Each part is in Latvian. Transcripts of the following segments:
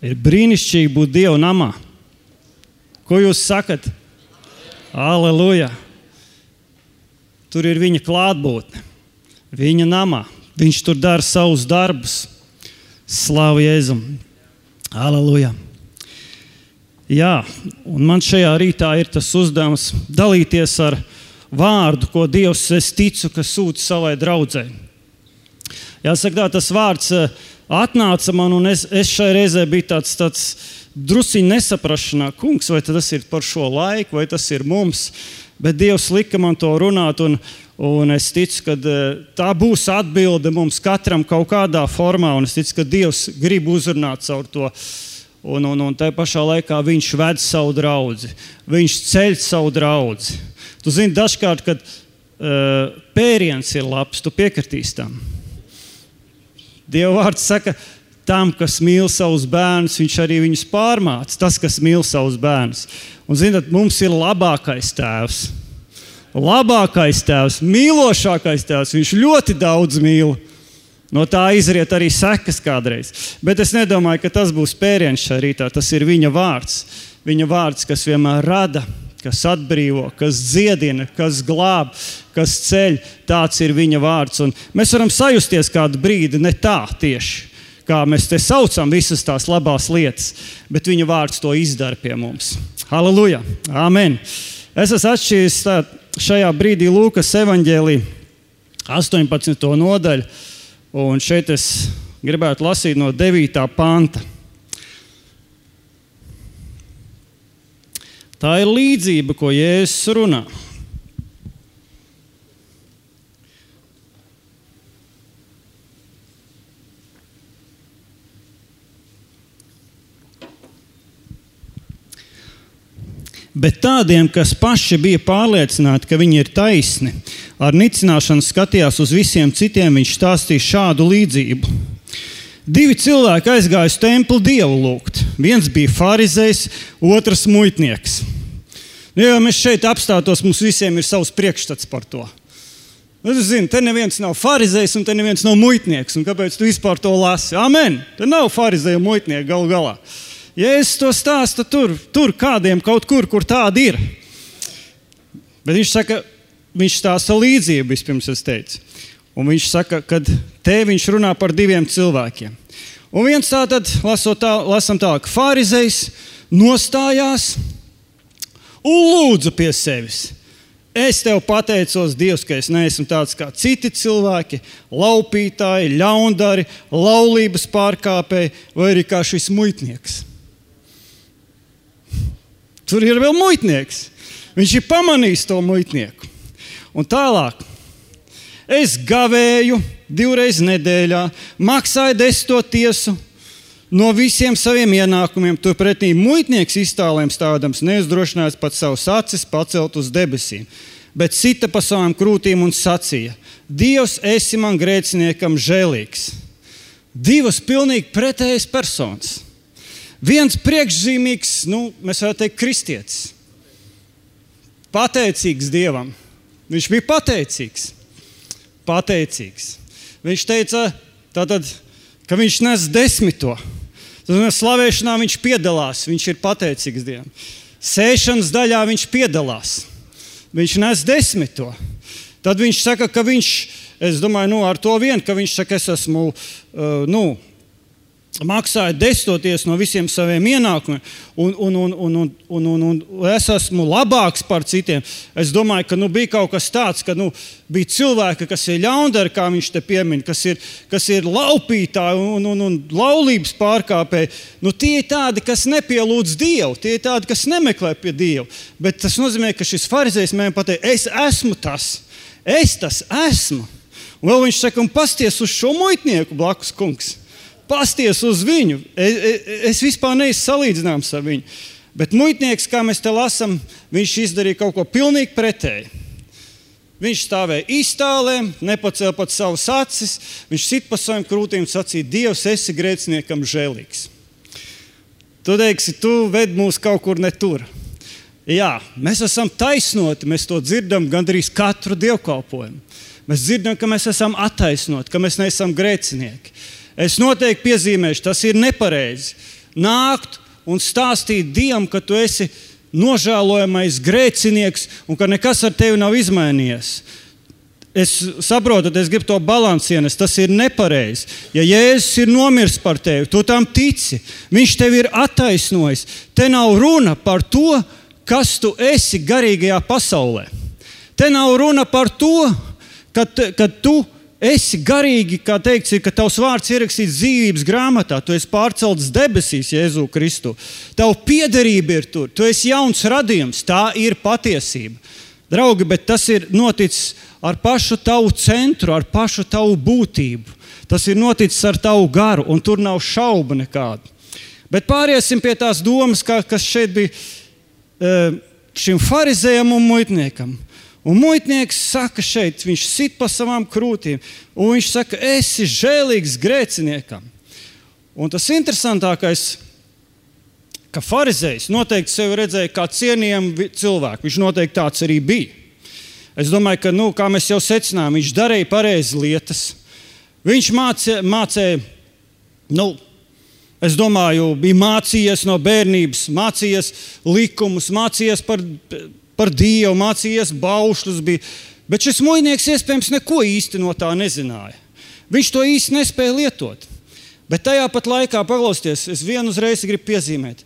Ir brīnišķīgi būt Dieva namā. Ko jūs sakat? Aleluja! Tur ir viņa klātbūtne, viņa namā. Viņš tur dara savus darbus. Slavu Jēzum! Aleluja! Jā, un man šajā rītā ir tas uzdevums dalīties ar vārdu, ko Dievs, es ticu, ka sūta savai draudzei. Jāsaka, tas vārds atnāca man, un es šai reizē biju tāds drusiņ nesaprašanā. Kungs, vai tas ir par šo laiku, vai tas ir mums? Bet Dievs lika man to runāt, un es ticu, ka tā būs atbilde mums katram kaut kādā formā, un es ticu, ka Dievs grib uzrunāt caur to. Un tajā pašā laikā viņš ved savu draudzi, viņš ceļ savu draudzi. Tu zini, dažkārt, kad pēriens ir labs, tu piekritīsi tam. Dieva vārds saka, tam, kas mīl savus bērnus, viņš arī viņus pārmāca. Tas, kas mīl savus bērnus. Un zināt, mums ir labākais tēvs. Labākais tēvs, mīlošākais tēvs. Viņš ļoti daudz mīl. No tā izriet arī sekas kādreiz. Bet es nedomāju, ka tas būs pēriens šajā rītā. Tas ir viņa vārds. Viņa vārds, kas vienmēr rada, kas atbrīvo, kas dziedina, kas glāb, kas ceļ. Tāds ir viņa vārds. Un mēs varam sajusties kādu brīdi, ne tā tieši, kā mēs te saucam visas tās labās lietas, bet viņa vārds to izdara pie mums. Halleluja! Amen! Es esmu atšķīris šajā brīdī Lūkas evaņģēlī 18. nodaļu, un šeit es gribētu lasīt no 9. panta. Tā ir līdzība, ko Jēzus runā. Bet tādiem, kas paši bija pārliecināti, ka viņi ir taisni, ar nicināšanu skatījās uz visiem citiem, viņš stāstīja šādu līdzību. 2 cilvēki aizgāja uz templi Dievu lūgt. Viens bija farizejs, otrs muitnieks. Ja mēs šeit apstātos, mums visiem ir savs priekšstats par to. Es zinu, te neviens nav farizejs un te neviens nav muitnieks. Un kāpēc tu vispār to lasi? Amen! Te nav farizeja un muitnieka galu galā. Ja es to stāstu tur kādiem kaut kur tādi ir. Bet viņš saka, viņš stāsta līdzību, vispirms es teicu. Un viņš saka, ka te viņš runā par 2 cilvēkiem. Un viens tātad, lasam tālāk, farizejs nostājās un lūdzu pie sevis. Es tev pateicos, Dievs, ka es neesmu tāds kā citi cilvēki, laupītāji, ļaundari, laulības pārkāpēji vai arī kā šis muitnieks. Tur ir vēl muitnieks. Viņš ir pamanījis to muitnieku. Un tālāk. Es gavēju 2 reizes nedēļā, maksāju 10. tiesu no visiem saviem ienākumiem. Turpretī muitnieks iztālēm stādams neuzdrošinājās pat savus acis pacelt uz debesīm, bet sita pa savām krūtīm un sacīja: Dievs, esi man grēciniekam žēlīgs. 2 pilnīgi pretējas personas. Viens priekšzīmīgs, mēs varētu teikt, kristietis. Pateicīgs Dievam. Viņš bija pateicīgs. Viņš teica, tātad, ka viņš nes 10. Tad slavēšanā viņš piedalās, viņš ir pateicīgs Dievam. Sēšanas daļā viņš piedalās. Viņš nes 10. Tad viņš saka, ka viņš, es domāju, ar to vien, ka viņš saka, es esmu, maksāju 10. tiesu no visiem saviem ienākumiem un es esmu labāks par citiem. Es domāju, ka bija kaut kas tāds, ka bija cilvēki, kas ir ļaundari, kā viņš te piemin, kas ir laupītāji un laulības pārkāpēji. Tie ir tādi, kas nepielūdz Dievu, tie ir tādi, kas nemeklē pie Dievu. Bet tas nozīmē, ka šis farizejs mēģina pateikt, es esmu tas, es tas esmu. Un vēl viņš saka, un pasties uz šo muitnieku blakus, kungs. Pasties uz viņu. Es vispār neesmu salīdzināms ar viņu. Bet muitnieks, kā mēs te lasam, viņš izdarīja kaut ko pilnīgi pretēji. Viņš stāvēja iztālēm, nepacēla pat savus acis, viņš sit pa saviem krūtīm un sacīja: Dievs, esi grēciniekam žēlīgs. Tu teiksi, tu ved mūs kaut kur ne tur. Jā, mēs esam taisnoti, mēs to dzirdam gandrīz katru dievkalpojumu. Mēs dzirdam, ka mēs esam attaisnoti, ka mēs neesam grēcinieki. Es noteikti piezīmēšu, tas ir nepareizi. nākt un stāstīt Dievam, ka tu esi nožēlojamais grēcinieks un ka nekas ar tevi nav izmainījies. Es saprotu, es gribu to balansu ienest, tas ir nepareizi. Ja Jēzus ir nomirs par tevi, tu tam tici, viņš tevi ir attaisnojis. Te nav runa par to, kas tu esi garīgajā pasaulē. Te nav runa par to, ka tu esi garīgi, kā teikts, ka tavs vārds ierakstīts dzīvības grāmatā, tu esi pārcelts debesīs, Jēzu Kristu. Tavu piederība ir tur, tu esi jauns radījums, tā ir patiesība. Draugi, bet tas ir noticis ar pašu tavu centru, ar pašu tavu būtību. Tas ir noticis ar tavu garu, un tur nav šauba nekāda. Bet pāriesim pie tās domas, kas šeit bija šim farizējam un muitniekam. Un muitnieks saka šeit, viņš sit pa savām krūtīm, un viņš saka, esi žēlīgs grēciniekam. Un tas interesantākais, ka farizējs noteikti sevi redzēja kā cienījamu cilvēku. Viņš noteikti tāds arī bija. Es domāju, ka, kā mēs jau secinājām, viņš darīja pareizi lietas. Viņš mācīja, es domāju, bija mācījies no bērnības, mācījies likumus, mācījies par Dievu, mācījies baušļus. Bet šis muitnieks iespējams neko īsti no tā nezināja. Viņš to īsti nespēja lietot. Bet tajā pat laikā, paklausieties, es vienu uzreiz gribu piezīmēt.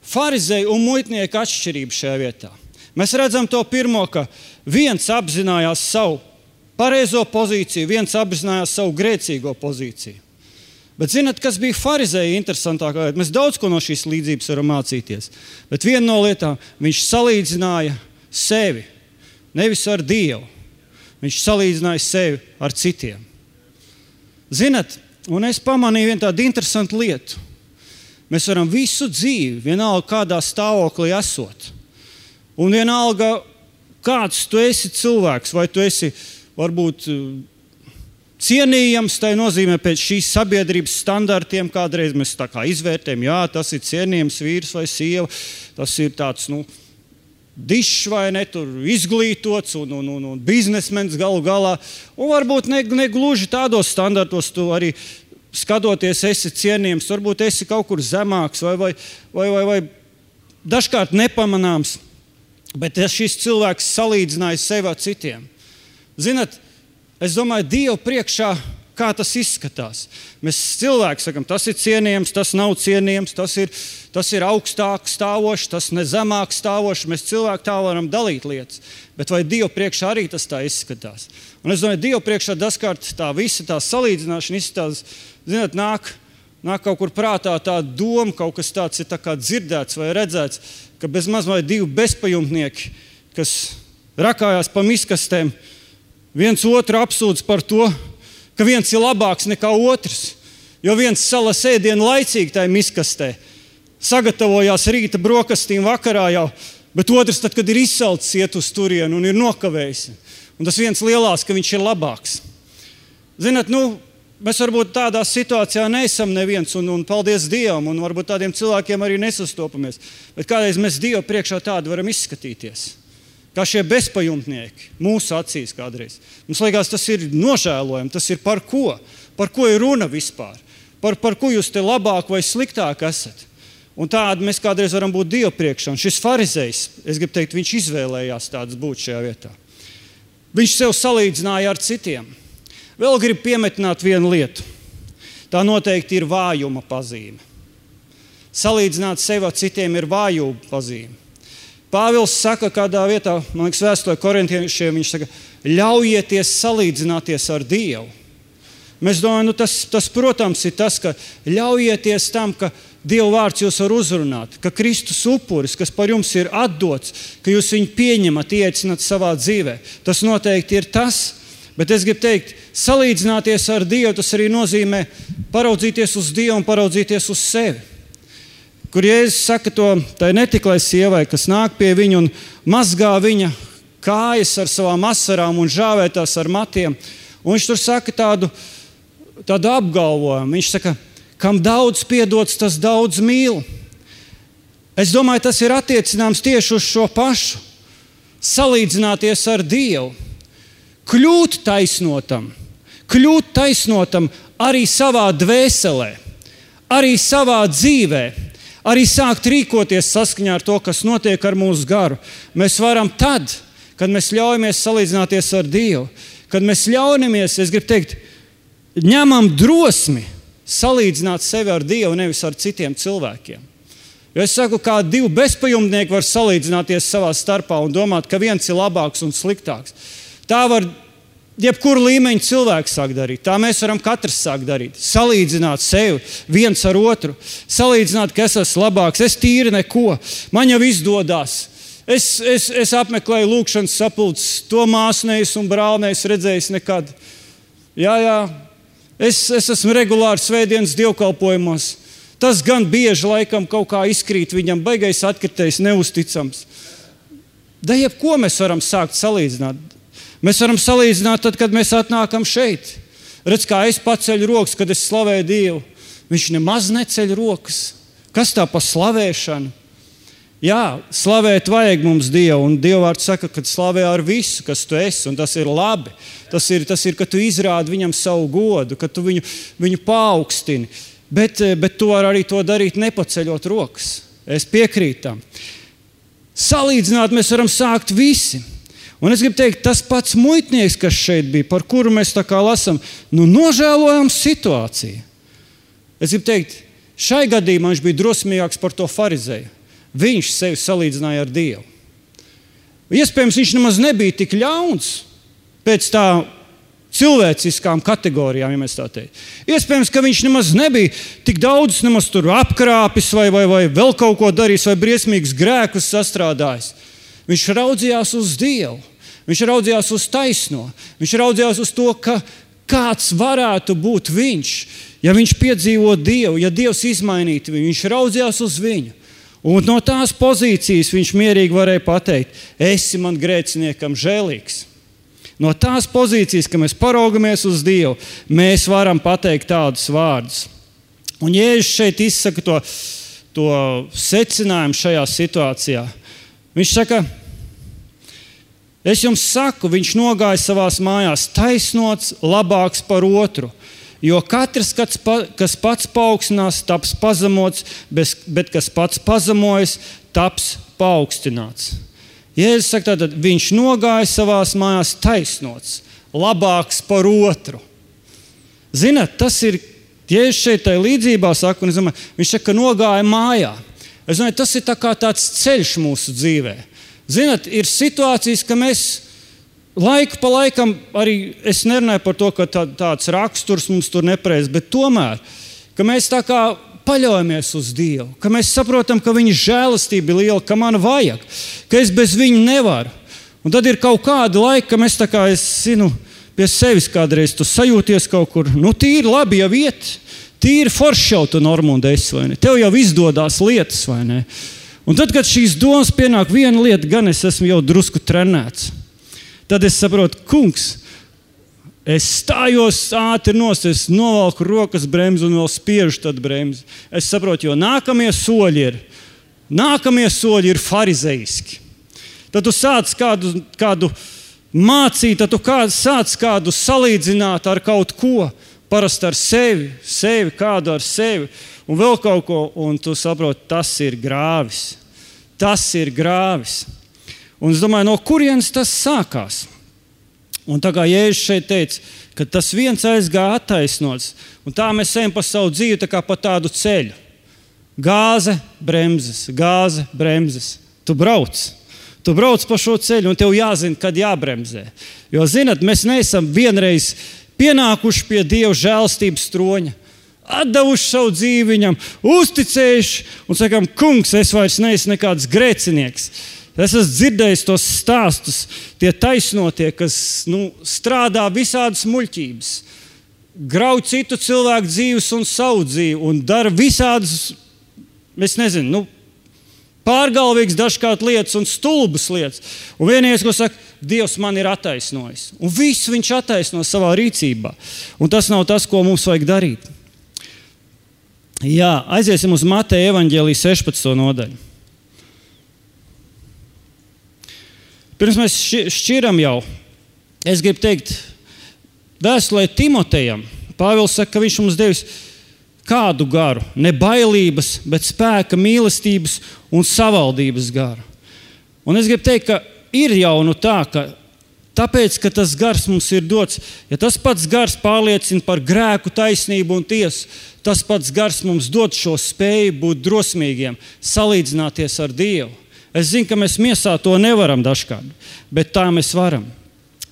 Farizēju un muitnieku atšķirību šajā vietā. Mēs redzam to pirmo, ka viens apzinājās savu pareizo pozīciju, viens apzinājās savu grēcīgo pozīciju. Bet zināt, kas bija farizēja interesantākā? Mēs daudz ko no šīs līdzības varam mācīties. Bet viena no lietām, viņš salīdzināja sevi, nevis ar Dievu. Viņš salīdzināja sevi ar citiem. Zināt, un es pamanīju vienu tādu interesantu lietu. Mēs varam visu dzīvi, vienalga kādā stāvoklī esot. Un vienalga, kāds tu esi cilvēks, vai tu esi varbūt cienījams, tai nozīmē pēc šīs sabiedrības standartiem, kādreiz mēs tā kā izvērtējam, jā, tas ir cienījams vīrs vai sieva, tas ir tāds, dišs vai ne, tur izglītots un biznesmens galu galā. Un varbūt negluži tādos standartos tu arī skatoties esi cienījams, varbūt esi kaut kur zemāks vai dažkārt nepamanāms, bet šis cilvēks salīdzināja sevi ar citiem. Zināt, es domāju, Dievu priekšā, kā tas izskatās. Mēs cilvēki sakam, tas ir cienījams, tas nav cienījams, tas ir augstāk stāvošs, tas ne zemāk stāvošs. Mēs cilvēki tā varam dalīt lietas. Bet vai Dievu priekšā arī tas tā izskatās? Un es domāju, Dievu priekšā dažkārt tā visa tā salīdzināšana izskatās, zināt, nāk kaut kur prātā tā doma, kaut kas tāds ir tā kā dzirdēts vai redzēts, ka bezmaz vai divi bezpajumtnieki, kas rakājās pa miskastēm, viens otru apsūdz par to, ka viens ir labāks nekā otrs, jo viens salas ēdienu laicīgi tajā miskastē, sagatavojās rīta brokastīm vakarā jau, bet otrs tad, kad ir izsalcis, iet uz turienu un ir nokavējis. Un tas viens lielās, ka viņš ir labāks. Zināt, mēs varbūt tādā situācijā neesam neviens, un paldies Dievam, un varbūt tādiem cilvēkiem arī nesastopamies. Bet kādreiz mēs Dievu priekšā tādu varam izskatīties. Kā šie bezpajumtnieki mūsu acīs kādreiz. Mums liekas, tas ir nožēlojami, tas ir par ko? Par ko ir runa vispār? Par ko jūs te labāk vai sliktāk esat? Un tādi mēs kādreiz varam būt Dievu priekšā. Un šis farizejs, es gribu teikt, viņš izvēlējās tāds būt šajā vietā. Viņš sev salīdzināja ar citiem. Vēl gribu piemetināt vienu lietu. Tā noteikti ir vājuma pazīme. Salīdzināt sevi ar citiem ir vājuma pazīme. Pāvils saka kādā vietā, man liekas, vēstulē korintiešiem, viņš saka, ļaujieties salīdzināties ar Dievu. Mēs domājam, tas, protams, ir tas, ka ļaujieties tam, ka Dieva vārds jūs var uzrunāt, ka Kristus upuris, kas par jums ir atdots, ka jūs viņu pieņemat, iecināt savā dzīvē. Tas noteikti ir tas, bet es gribu teikt, salīdzināties ar Dievu, tas arī nozīmē paraudzīties uz Dievu un paraudzīties uz sevi. Kur Jēzus saka to tai netiklai sievai, kas nāk pie viņa un mazgā viņa kājas ar savām asarām un žāvē tās ar matiem. Un viņš tur saka tādu apgalvojumu. Viņš saka, kam daudz piedots, tas daudz mīl. Es domāju, tas ir attiecināms tieši uz šo pašu. Salīdzināties ar Dievu. Kļūt taisnotam arī savā dvēselē. arī savā dzīvē, arī sākt rīkoties saskaņā ar to, kas notiek ar mūsu garu. Mēs varam tad, kad mēs ļaujamies salīdzināties ar Dievu, kad mēs ļaujamies, es gribu teikt, ņemam drosmi salīdzināt sevi ar Dievu, nevis ar citiem cilvēkiem. Jo es saku, kā divi bezpajumtnieki var salīdzināties savā starpā un domāt, ka viens ir labāks un sliktāks. Tā var jebkuru līmeņu cilvēku sāk darīt. Tā mēs varam katrs sāk darīt. Salīdzināt sevi viens ar otru. Salīdzināt, ka es esmu labāks, es tīri neko, man jau izdodās. Es apmeklēju lūkšanas sapulces, to māsu neesmu un brāli neesmu redzējis nekad. Jā, es esmu regulāri svētdienas dievkalpojumos. Tas gan bieži laikam kaut kā izkrīt viņam, baigais atkritējs, neusticams. Da jebko mēs varam sākt salīdzināt. Mēs varam salīdzināt tad, kad mēs atnākam šeit. Redz, kā es paceļu rokas, kad es slavēju Dievu. Viņš nemaz neceļ rokas. Kas tā pa slavēšanu? Jā, slavēt vajag mums Dievu, un Dieva vārds saka, ka slavē ar visu, kas tu esi, un tas ir labi. Tas ir, ka tu izrādi viņam savu godu, ka tu viņu paaugstini. Bet tu vari arī to darīt nepaceļot rokas. Es piekrītu tam. Salīdzināt mēs varam sākt visi. Un es gribu teikt, tas pats muitnieks, kas šeit bija, par kuru mēs tā kā lasam, nožēlojam situāciju. Es gribu teikt, šai gadījumā viņš bija drosmīgāks par to farizeju. Viņš sevi salīdzināja ar Dievu. Iespējams, viņš nemaz nebija tik ļauns pēc tā cilvēciskām kategorijām, ja mēs tā teikt. Iespējams, ka viņš nemaz nebija tik daudz tur apkrāpis vai vēl kaut ko darījis vai briesmīgus grēkus sastrādājis. Viņš raudzījās uz Dievu. Viņš raudzījās uz taisno. Viņš raudzījās uz to, ka kāds varētu būt viņš, ja viņš piedzīvo Dievu, ja Dievs izmainītu viņu. Viņš raudzījās uz viņu. Un no tās pozīcijas viņš mierīgi varēja pateikt, esi man grēciniekam žēlīgs. No tās pozīcijas, ka mēs paraugamies uz Dievu, mēs varam pateikt tādus vārdus. Un Jēzus šeit izsaka to secinājumu šajā situācijā. Viņš saka, es jums saku, viņš nogāja savās mājās taisnots, labāks par otru. Jo katrs, kas pats paaugstinās, taps pazemots, bet kas pats pazemojas, taps paaugstināts. Jēzus saka, tātad viņš nogāja savās mājās taisnots, labāks par otru. Zināt, tas ir, Jēzus šeit tai līdzībā saka, un es domāju, viņš saka, ka nogāja mājā. Es domāju, tas ir tā kā tāds ceļš mūsu dzīvē. Zināt, ir situācijas, ka mēs laiku pa laikam, arī es nerunāju par to, ka tāds raksturs mums tur nepareiz, bet tomēr, ka mēs tā kā paļaujamies uz Dievu, ka mēs saprotam, ka viņa žēlastība ir liela, ka man vajag, ka es bez viņa nevaru. Un tad ir kaut kāda laika, ka mēs tā kā, es zinu, pie sevis kādreiz tu sajūties kaut kur, tīri labi jau iet, tīri forši jau tu Normunda esi, vai ne? Tev jau izdodās lietas, vai ne? Un tad, kad šīs domas pienāk viena lieta, gan es esmu jau drusku trenēts, tad es saprotu, kungs, es stājos ātri nost, es novalku rokas bremzi un vēl spiežu tad bremzi. Es saprotu, jo nākamie soļi ir farizeiski. Tad tu sāc kādu mācīt, tad tu sāc kādu salīdzināt ar kaut ko, parasti ar sevi, kādu ar sevi, un vēl kaut ko, un tu saproti, tas ir grāvis. Tas ir grāvis. Un es domāju, no kurienes tas sākās? Un tā kā Jēzus šeit teica, ka tas viens aizgāja attaisnots, un tā mēs ejam pa savu dzīvi tā kā pa tādu ceļu. Gāze, bremzes. Tu brauc pa šo ceļu, un tev jāzina, kad jābremzē. Jo, zinat, mēs neesam vienreiz pienākuši pie Dieva žēlastības troņa, atdevuši savu dzīvi viņam, uzticējuši un sakam, kungs, es vairs neesmu nekāds grēcinieks. Es esmu dzirdējis tos stāstus, tie taisnotie, kas strādā visādas muļķības, grauj citu cilvēku dzīves un savu dzīvi un dara visādas, es nezinu, pārgalvīgas dažkārt lietas un stulbas lietas. Un vienīgais, ko saka, Dievs man ir attaisnojis. Un visu viņš attaisno savā rīcībā. Un tas nav tas, ko mums vajag darīt. Jā, aiziesim uz Mateja evaņģēlija 16. nodaļu. Pirms mēs šķiram jau, es gribu teikt, vēstulē Timotejam, Pāvils saka, ka viņš mums devis Kādu garu? Ne bailības, bet spēka, mīlestības un savaldības garu. Un es gribu teikt, ka ir jau tā, ka tāpēc, ka tas gars mums ir dots, ja tas pats gars pārliecina par grēku, taisnību un tiesu, tas pats gars mums dod šo spēju būt drosmīgiem, salīdzināties ar Dievu. Es zinu, ka mēs miesā to nevaram dažkārt, bet tā mēs varam.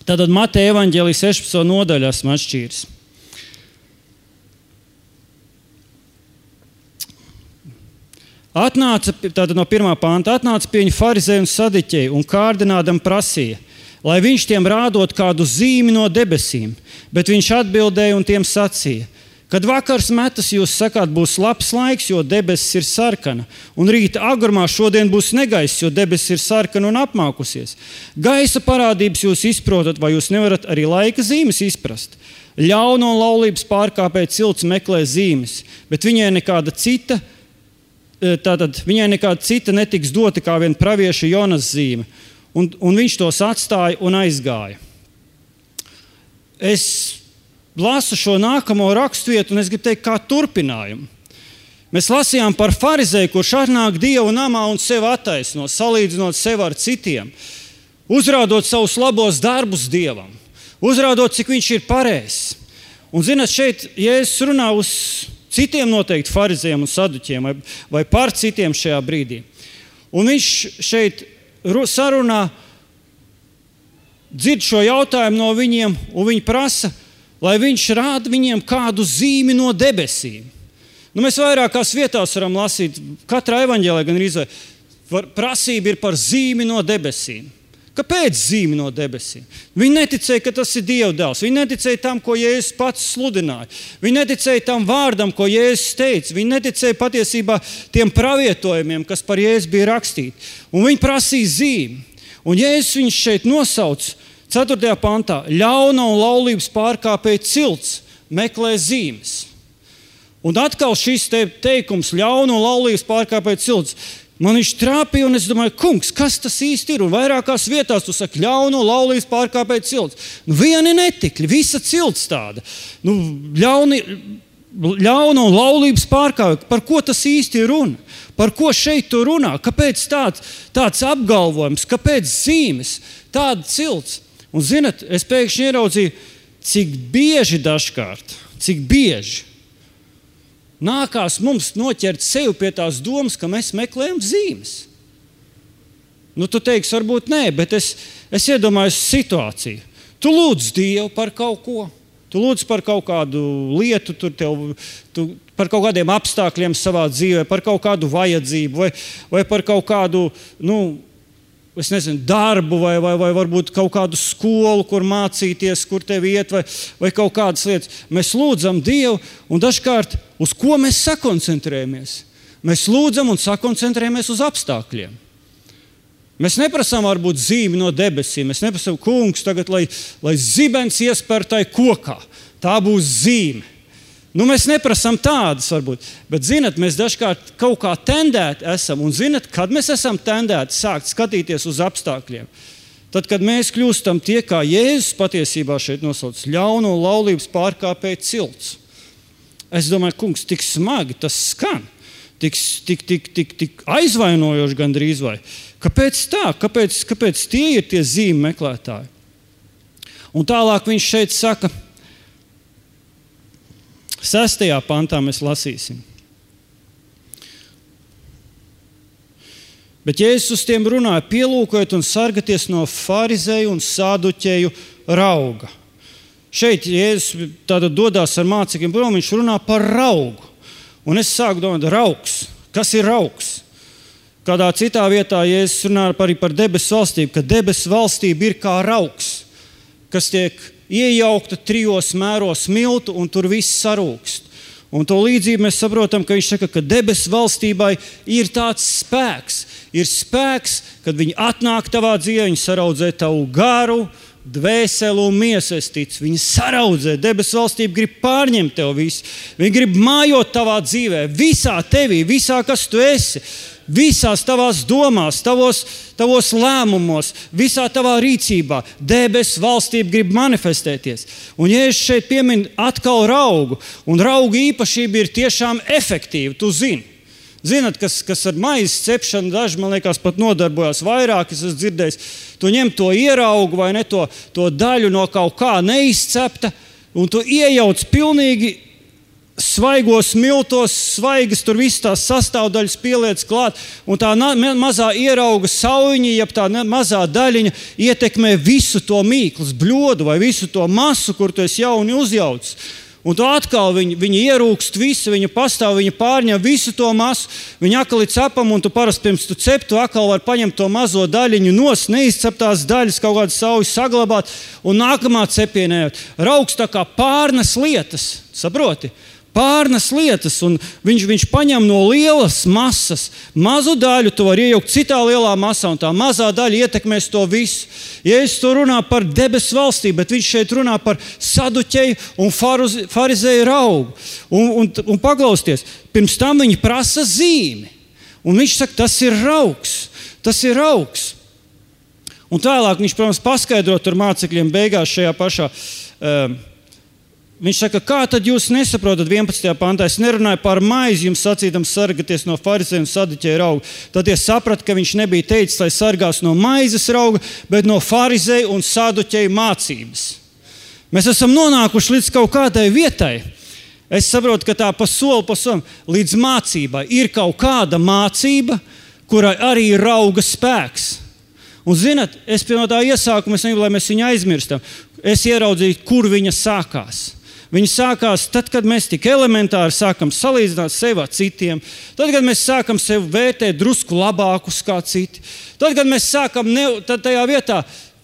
Tātad Mateja evaņģēlija 16. nodaļā esmu atšķīris. Tātad no 1. panta, atnāca pie viņa farizēji un sadiķeji un kārdinādam prasīja, lai viņš tiem rādot kādu zīmi no debesīm, bet viņš atbildēja un tiem sacīja, kad vakars metas, jūs sakāt, būs labs laiks, jo debesis ir sarkana, un rīta agrumā šodien būs negaiss, jo debesis ir sarkana un apmākusies. Gaisa parādības jūs izprotat, vai jūs nevarat arī laika zīmes izprast? Ļauna un laulības pārkāpēja cilts meklē zīmes, bet viņai nekāda cita netiks dota kā vien pravieša Jonas zīme, un viņš tos atstāja un aizgāja. Es lasu šo nākamo raksturvietu, un es gribu teikt, kā turpinājumu. Mēs lasījām par farizēju, kurš atnāk Dieva namā un sevi attaisno, salīdzinot sevi ar citiem, uzrādot savus labos darbus Dievam, uzrādot, cik viņš ir pareizs. Un, zināt, šeit Jēzus runā uz citiem noteikti farizējiem un saduķiem, vai par citiem šajā brīdī. Un viņš šeit sarunā, dzird šo jautājumu no viņiem, un viņi prasa, lai viņš rāda viņiem kādu zīmi no debesīm. Mēs vairākās vietās varam lasīt, katrā evaņģēlē gan arī prasība ir par zīmi no debesīm. Kāpēc zīmi no debesīm? Viņi neticēja, ka tas ir Dieva dēls. Viņi neticēja tam, ko Jēzus pats sludināja. Viņi neticēja tam vārdam, ko Jēzus teica. Viņi neticēja patiesībā tiem pravietojumiem, kas par Jēzu bija rakstīti. Un viņi prasīja zīmi. Un Jēzus viņš šeit nosauc 4. pantā, ļauna un laulības pārkāpēja cilts meklē zīmes. Un atkal šis teikums, ļauna un laulības pārkāpēja cilts, man viņš trāpīja, un es domāju, kungs, kas tas īsti ir? Un vairākās vietās tu saki, ļauna un laulības pārkāpēja cilts. Vieni netikļi, visa cilts tāda. Ļauna un laulības pārkāpēja, par ko tas īsti ir runa? Par ko šeit tu runā? Kāpēc tāds apgalvojums? Kāpēc zīmes? Tāda cilts? Un, zinat, es pēkšņi ieraudzīju, cik bieži nākās mums noķert sevi pie tās domas, ka mēs meklējam zīmes. Tu teiksi, varbūt nē, bet es iedomājos situāciju. Tu lūdz Dievu par kaut ko, tu lūdz par kaut kādu lietu, tu par kaut kādiem apstākļiem savā dzīvē, par kaut kādu vajadzību vai par kaut kādu, es nezinu, darbu vai varbūt kaut kādu skolu, kur mācīties, kur tev iet, vai kaut kādas lietas. Mēs lūdzam Dievu, un dažkārt uz ko mēs sakoncentrējamies? Mēs lūdzam un sakoncentrējamies uz apstākļiem. Mēs neprasām varbūt zīmi no debesīm. Mēs neprasām, kungs, tagad, lai zibens iespēr tai kokā. Tā būs zīme. Mēs neprasām tādas varbūt, bet, zinat, mēs dažkārt kaut kā tendēti esam, un zinat, kad mēs esam tendēti sākt skatīties uz apstākļiem? Tad, kad mēs kļūstam tie, kā Jēzus patiesībā šeit nosauc, ļauna un laulības pārkāpēja cilts. Es domāju, kungs, tik smagi tas skan, tik aizvainojoši gandrīz vai. Kāpēc tā? Kāpēc tie ir tie zīmi meklētāji? Un tālāk viņš šeit saka, 6. pantā mēs lasīsim. Bet Jēzus uz tiem runāja, pielūkojiet un sargaties no farizēju un saduķēju rauga. Šeit Jēzus tātad dodās ar mācekļiem prom, viņš runā par raugu. Un es sāku domāt, raugs. Kas ir raugs? Kādā citā vietā Jēzus runā arī par debesu valstību, ka debesu valstība ir kā raugs, kas tiek iejaukta 3 mēros miltu, un tur viss sarūkst. Un to līdzību mēs saprotam, ka viņš saka, ka debesu valstībai ir tāds spēks. Ir spēks, kad viņi atnāk tavā dzīvē, viņi saraudzē tavu garu, dvēseli un miesa es ticu. Viņi saraudzē, debesu valstība grib pārņemt tev visu. Viņi grib mājot tavā dzīvē, visā tevī, visā, kas tu esi. Visās tavās domās, tavos lēmumos, visā tavā rīcībā. Debesu valstība grib manifestēties. Un ja es šeit pieminu atkal raugu, un rauga īpašība ir tiešām efektīva, tu zini. Zinat, kas ar maizes cepšanu daži, man liekas, pat nodarbojās vairāk, es esmu dzirdējis. Tu ņem to ieraugu vai ne to daļu no kaut kā neizcepta, un tu iejauc pilnīgi svaigos miltos, svaigas, tur viss tās sastāvdaļas pieliec klāt, un tā mazā ierauga sauņa, jeb tā mazā daļiņa ietekmē visu to mīklas bļodu vai visu to masu, kur tu esi jauni uzjaucis. Un tu atkal viņi ierūkst visu, viņi pastāv, viņi pārņem visu to masu, viņi atkal ir cepam, un tu parasti pirms tu cep, tu atkal var paņemt to mazo daļiņu nost, neizceptās daļas, kaut kādas saujas saglabāt, un nākamā cepienē raugs tā kā pārnes lietas, saproti? Pārnes lietas, un viņš paņem no lielas masas mazu daļu, tu vari iejaukt citā lielā masā, un tā mazā daļa ietekmēs to visu. Jēzus to runā par debesu valstību, bet viņš šeit runā par saduķeju un farizēju raugu. Un paklausties, pirms tam viņi prasa zīmi. Un viņš saka, tas ir raugs. Un tālāk viņš, protams, paskaidro tur mācekļiem beigās šajā pašā viņš saka, kā tad jūs nesaprotat 11. pantā? Es nerunāju par maizi, jums sacīdams sargaties no farizēju un saduķeju rauga. Tad es sapratu, ka viņš nebija teicis, lai sargās no maizes rauga, bet no farizēju un saduķeju mācības. Mēs esam nonākuši līdz kaut kādai vietai. Es saprotu, ka tā pa solim līdz mācībai ir kaut kāda mācība, kurai arī ir rauga spēks. Un zinat, es pie no tā iesākuma, es negribu, lai mēs viņu aizmirstam. Es ieraudzīju, kur viņa sākās. Viņa sākās tad, kad mēs tik elementāri sākam salīdzināt sevi ar citiem, tad, kad mēs sākam sevi vērtēt drusku labākus kā citi, tad, kad mēs sākam, tad tajā vietā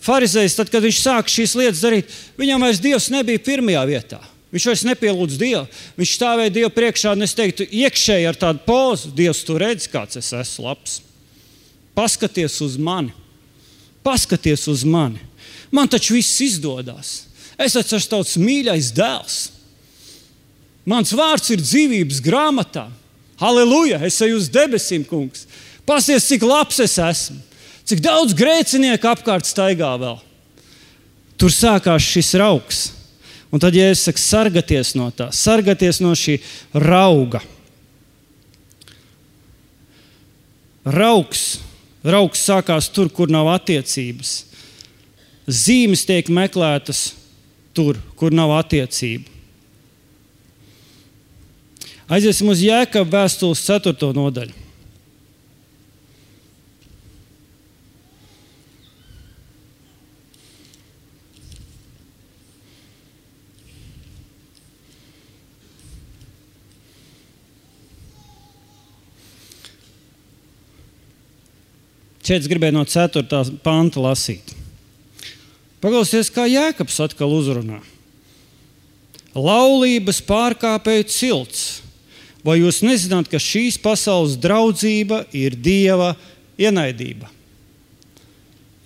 farizējs, tad, kad viņš sāk šīs lietas darīt, viņam vairs Dievs nebija pirmajā vietā. Viņš vairs nepielūdz Dievu. Viņš stāvēja Dievu priekšā, un es teiktu, iekšēji ar tādu pozu, Dievs, tu redzi, kāds es esmu labs. Paskaties uz mani. Man taču viss izdodas. Es esmu tavs mīļais dēls. Mans vārds ir dzīvības grāmatā. Halleluja! Es eju uz debesīm, kungs. Pasties, cik labs es esmu. Cik daudz grēcinieku apkārt staigā vēl. Tur sākās šis raugs. Un tad, ja es saku, sargaties no tā, sargaties no šī rauga. Raugs sākās tur, kur nav attiecības. Zīmes tiek meklētas tur, kur nav attiecību. Aiziesim uz Jēkaba vēstules 4. nodaļu. Šeit es gribēju no 4. panta lasīt. Paklausieties, kā Jēkabs atkal uzrunā. Laulības pārkāpēju cilts. Vai jūs nezināt, ka šīs pasaules draudzība ir Dieva ienaidība?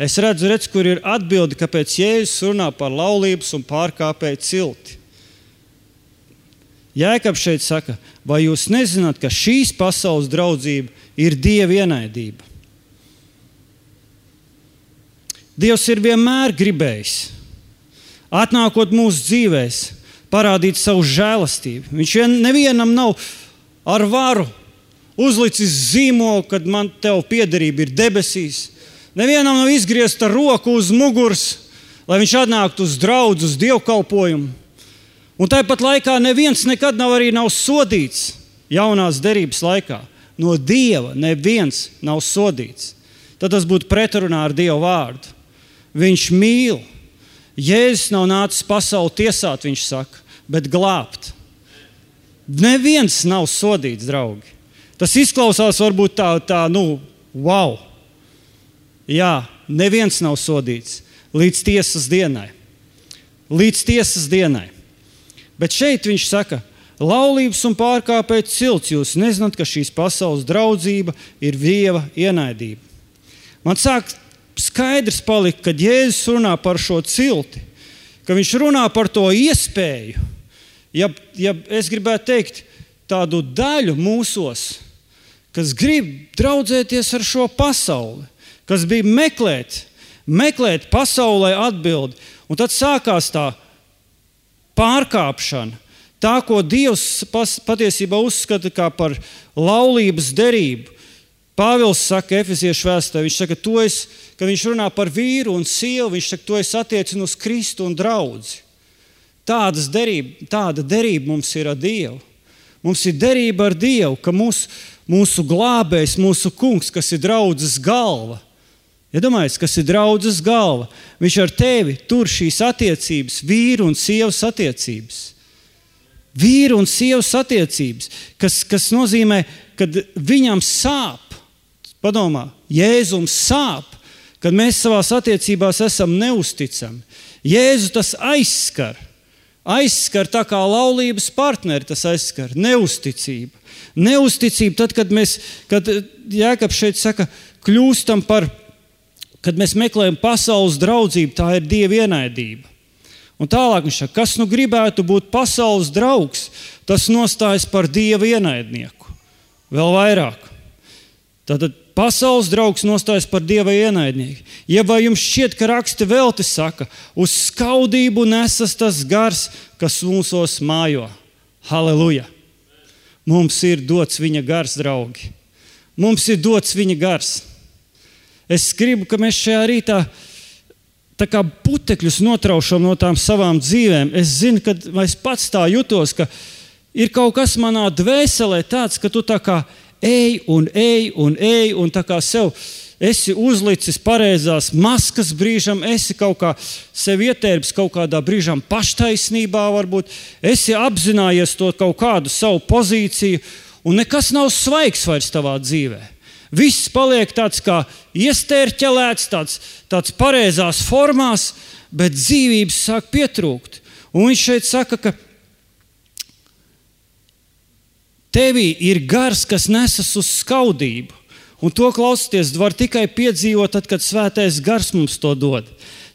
Es redzu, kur ir atbildi, kāpēc Jēzus runā par laulības un pārkāpēju cilti. Jēkabs šeit saka, vai jūs nezināt, ka šīs pasaules draudzība ir Dieva ienaidība? Dievs ir vienmēr gribējis, atnākot mūsu dzīvēs, parādīt savu žēlastību. Viņš nevienam nav ar varu uzlicis zīmolu, kad man tev piederība ir debesīs. Nevienam nav izgriezt ar roku uz muguras, lai viņš atnāktu uz draudzu, uz dievkalpojumu. Un tāpat laikā neviens nekad nav sodīts jaunās derības laikā. No Dieva neviens nav sodīts. Tad tas būtu pretrunā ar Dieva vārdu. Viņš mīl. Jēzus nav nācis pasauli tiesāt, viņš saka, bet glābt. Neviens nav sodīts, draugi. Tas izklausās varbūt wow. Jā, neviens nav sodīts līdz tiesas dienai. Bet šeit viņš saka, laulības un pārkāpēju cilts, jūs nezināt, ka šīs pasaules draudzība ir Dieva ienaidība. Man sāk skaidrs palika, kad Jēzus runā par šo cilti, ka viņš runā par to iespēju, ja es gribētu teikt, tādu daļu mūsos, kas grib draudzēties ar šo pasauli, kas bija meklēt pasaulē atbildi. Un tad sākās tā pārkāpšana, tā, ko Dievs patiesībā uzskata kā par laulības derību. Pāvils saka Efeziešu vēstulē, viņš saka, ka viņš runā par vīru un sievu, viņš saka, to es attiecinu uz Kristu un draudzi. Tāda derība mums ir ar Dievu. Mums ir derība ar Dievu, ka mūsu glābējs, mūsu kungs, kas ir draudzes galva, iedomājies, kas ir draudzes galva, viņš ar tevi tur šīs attiecības, vīru un sievas attiecības. Vīru un sievas attiecības, kas nozīmē, kad viņam sāp. Padomā, Jēzum sāp, kad mēs savās attiecībās esam neusticami. Jēzu tas aizskar tā kā laulības partneri, tas aizskar neusticību. Neusticību tad, kad Jēkabs šeit saka, kļūstam par, kad mēs meklējam pasaules draudzību, tā ir Dieva ienaidība. Un tālāk viņš saka, kas nu gribētu būt pasaules draugs, tas nostājas par Dieva ienaidnieku. Vēl vairāk. Tātad pasaules draugs nostājas par Dieva ienaidnieku. Ja vai jums šķiet, ka raksti velti saka, uz skaudību nesas tas gars, kas mūsos mājo. Halleluja! Mums ir dots viņa gars, draugi. Mums ir dots viņa gars. Es gribu, ka mēs šajā rītā tā kā putekļus notraušam no tām savām dzīvēm. Es zinu, ka es pats tā jutos, ka ir kaut kas manā dvēselē tāds, ka tu tā kā ej un tā kā sev esi uzlicis pareizās maskas brīžam, esi kaut kā sev ietērpis kaut kādā brīžam paštaisnībā varbūt, esi apzinājies to kaut kādu savu pozīciju un nekas nav svaigs vairs tavā dzīvē. Viss paliek tāds kā iestērķelēts, tāds pareizās formās, bet dzīvības sāk pietrūkt. Un viņš šeit saka, ka tevī ir gars, kas nesas uz skaudību. Un to klausieties, var tikai piedzīvot, tad, kad svētais gars mums to dod.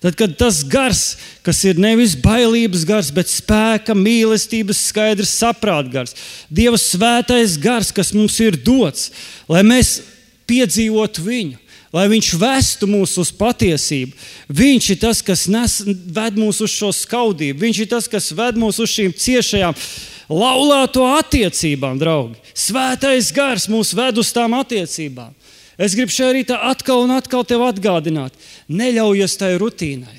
Tad, kad tas gars, kas ir nevis bailības gars, bet spēka, mīlestības, skaidrs saprāta gars. Dieva svētais gars, kas mums ir dots, lai mēs piedzīvotu viņu, lai viņš vestu mūs uz patiesību. Viņš ir tas, kas ved mūs uz šo skaudību. Viņš ir tas, kas ved mūs uz šīm ciešajām laulāto attiecībām, draugi. Svētais gars mūs ved uz tām attiecībām. Es gribu šajā rītā atkal un atkal tev atgādināt. Neļaujies tai rutīnai.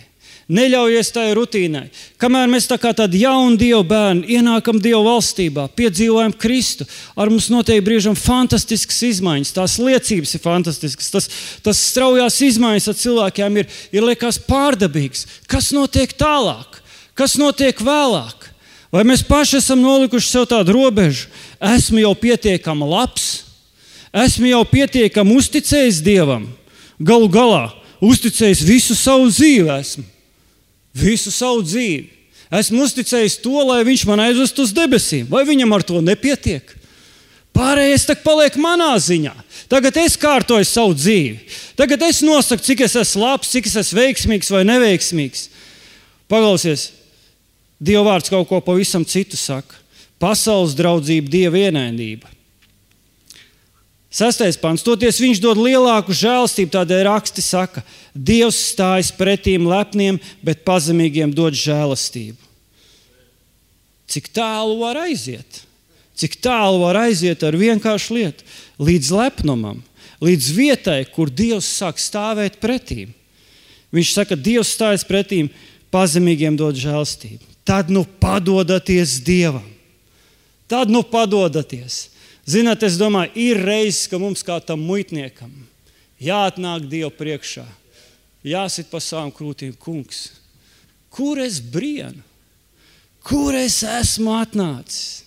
Neļaujies tai rutīnai. Kamēr mēs tā kā tādi jauni Dieva bērni ienākam Dieva valstībā, piedzīvojam Kristu, ar mums notiek brīžam fantastiskas izmaiņas, tās liecības ir fantastiskas, tas straujās izmaiņas ar cilvēkiem ir liekas pārdabīgs. Kas notiek tālāk? Kas notiek vēlāk? Vai mēs paši esam nolikuši sev tādu robežu? Esmu jau pietiekami labs, esmu jau pietiekami uzticējis Dievam, galu galā uzticējis visu savu dzīvi esmu. Visu savu dzīvi. Esmu uzticējis to, lai viņš man aizvest uz debesīm. Vai viņam ar to nepietiek? Pārējais tak paliek manā ziņā. Tagad es kārtoju savu dzīvi. Tagad es nosaku, cik es esmu labs, cik es esmu veiksmīgs vai neveiksmīgs. Paklausies, Dieva vārds kaut ko pavisam citu saka. Pasaules draudzība, Dieva ienaidība. 6. pants. Toties viņš dod lielāku žēlstību, tādēļ raksti saka, Dievs stājas pretīm lepniem, bet pazemīgiem dod žēlastību. Cik tālu var aiziet? Cik tālu var aiziet ar vienkāršu lietu? Līdz lepnumam, līdz vietai, kur Dievs sāk stāvēt pretīm. Viņš saka, Dievs stājas pretīm, pazemīgiem dod žēlstību. Tad nu padodaties Dievam. Tad nu padodaties. Zināt, es domāju, ir reizes, ka mums kā tam muitniekam jāatnāk Dievu priekšā, jāsit pa savām krūtīm, kungs, kur es brienu, kur es esmu atnācis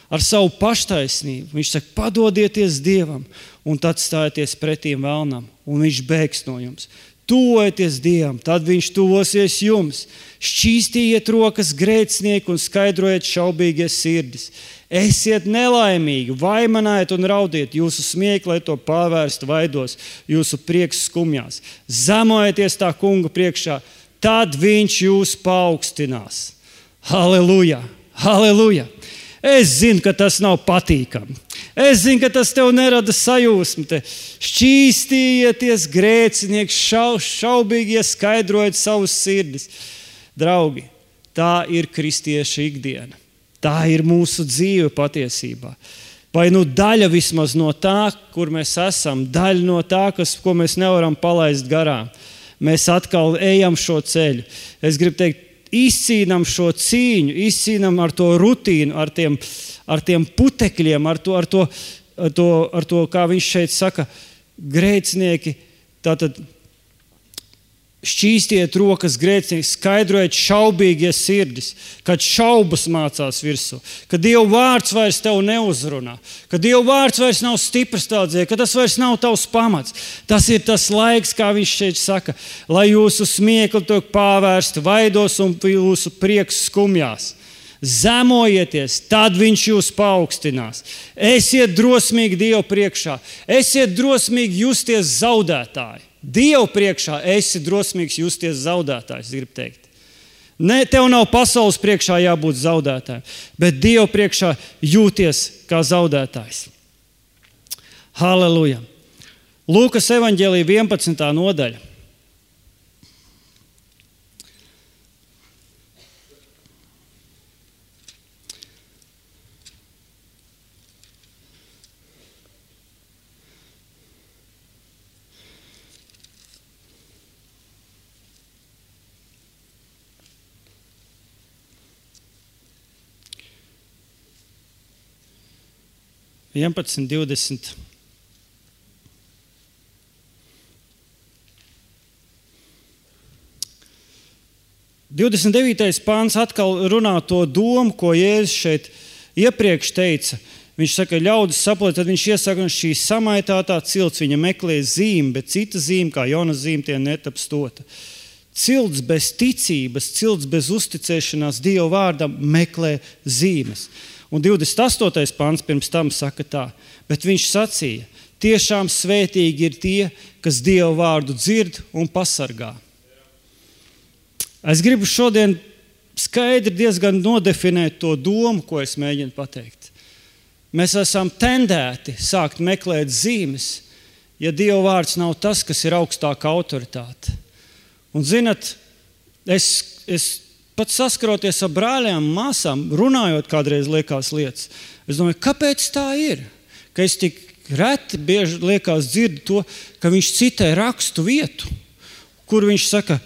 ar savu paštaisnību. Viņš saka, padodieties Dievam un tad stājieties pretīm vēlnam un viņš bēgs no jums. Tuvojieties Dievam, tad viņš tuvosies jums. Šķīstījiet rokas grēcinieki un skaidrojiet šaubīgie sirdis. Esiet nelaimīgi, vaimanajiet un raudiet, jūsu smiekli, lai to pārvērstu vaidos, jūsu prieks skumjās. Zemojieties tā kunga priekšā, tad viņš jūs paaugstinās. Halleluja! Halleluja! Es zinu, ka tas nav patīkami. Es zinu, ka tas tev nerada sajūsmu. Šķīstījieties grēcinieki, šaubīgie, skaidrojiet savus sirdis. Draugi, tā ir kristieša ikdiena. Tā ir mūsu dzīve patiesībā. Vai daļa vismaz no tā, kur mēs esam, daļa no tā, ko mēs nevaram palaist garām. Mēs atkal ejam šo ceļu. Es gribu teikt, izcīnam šo cīņu, izcīnam ar to rutīnu, ar tiem putekļiem, ar to, kā viņš šeit saka, grēcinieki, tātad šķīstiet rokas grēcinieki, skaidrojiet šaubīgie sirdis, kad šaubas mācās virsū, kad Dieva vārds vairs tev neuzrunā, kad Dieva vārds vairs nav stiprs tā dzīvē, ka tas vairs nav tavs pamats. Tas ir tas laiks, kā viņš šeit saka, lai jūsu smiekli tiek pārvērsti vaidos un jūsu prieks skumjās. Zemojieties, tad viņš jūs paaugstinās. Esiet drosmīgi Dievu priekšā, esiet drosmīgi justies zaudētāji. Dievu priekšā esi drosmīgs justies zaudētājs, gribu teikt. Ne, tev nav pasaules priekšā jābūt zaudētājiem, bet Dievu priekšā jūties kā zaudētājs. Halleluja! Lūkas evaņģēlija 11. nodaļa. – 11:20. Pāns atkal runā to domu, ko Jēzus šeit iepriekš teica. Viņš saka, ļaudis saprot, tad viņš iesaka, ka šī samaitātā cilts viņa meklē zīmi, bet cita zīme, kā Jonas zīme, tie netaps tota. Cilts bez ticības, cilts bez uzticēšanās Dieva vārdam meklē zīmes. Un 28. pants pirms tam saka tā, bet viņš sacīja, tiešām svētīgi ir tie, kas Dieva vārdu dzird un pasargā. Es gribu šodien skaidri diezgan nodefinēt to domu, ko es mēģinu pateikt. Mēs esam tendēti sākt meklēt zīmes, ja Dieva vārds nav tas, kas ir augstāka autoritāte. Un zinat, es pat saskaroties ar brāļiem, māsām, runājot kādreiz liekas lietas, es domāju, kāpēc tā ir? Ka es tik reti bieži liekas dzirdu to, ka viņš citē rakstu vietu, kur viņš saka,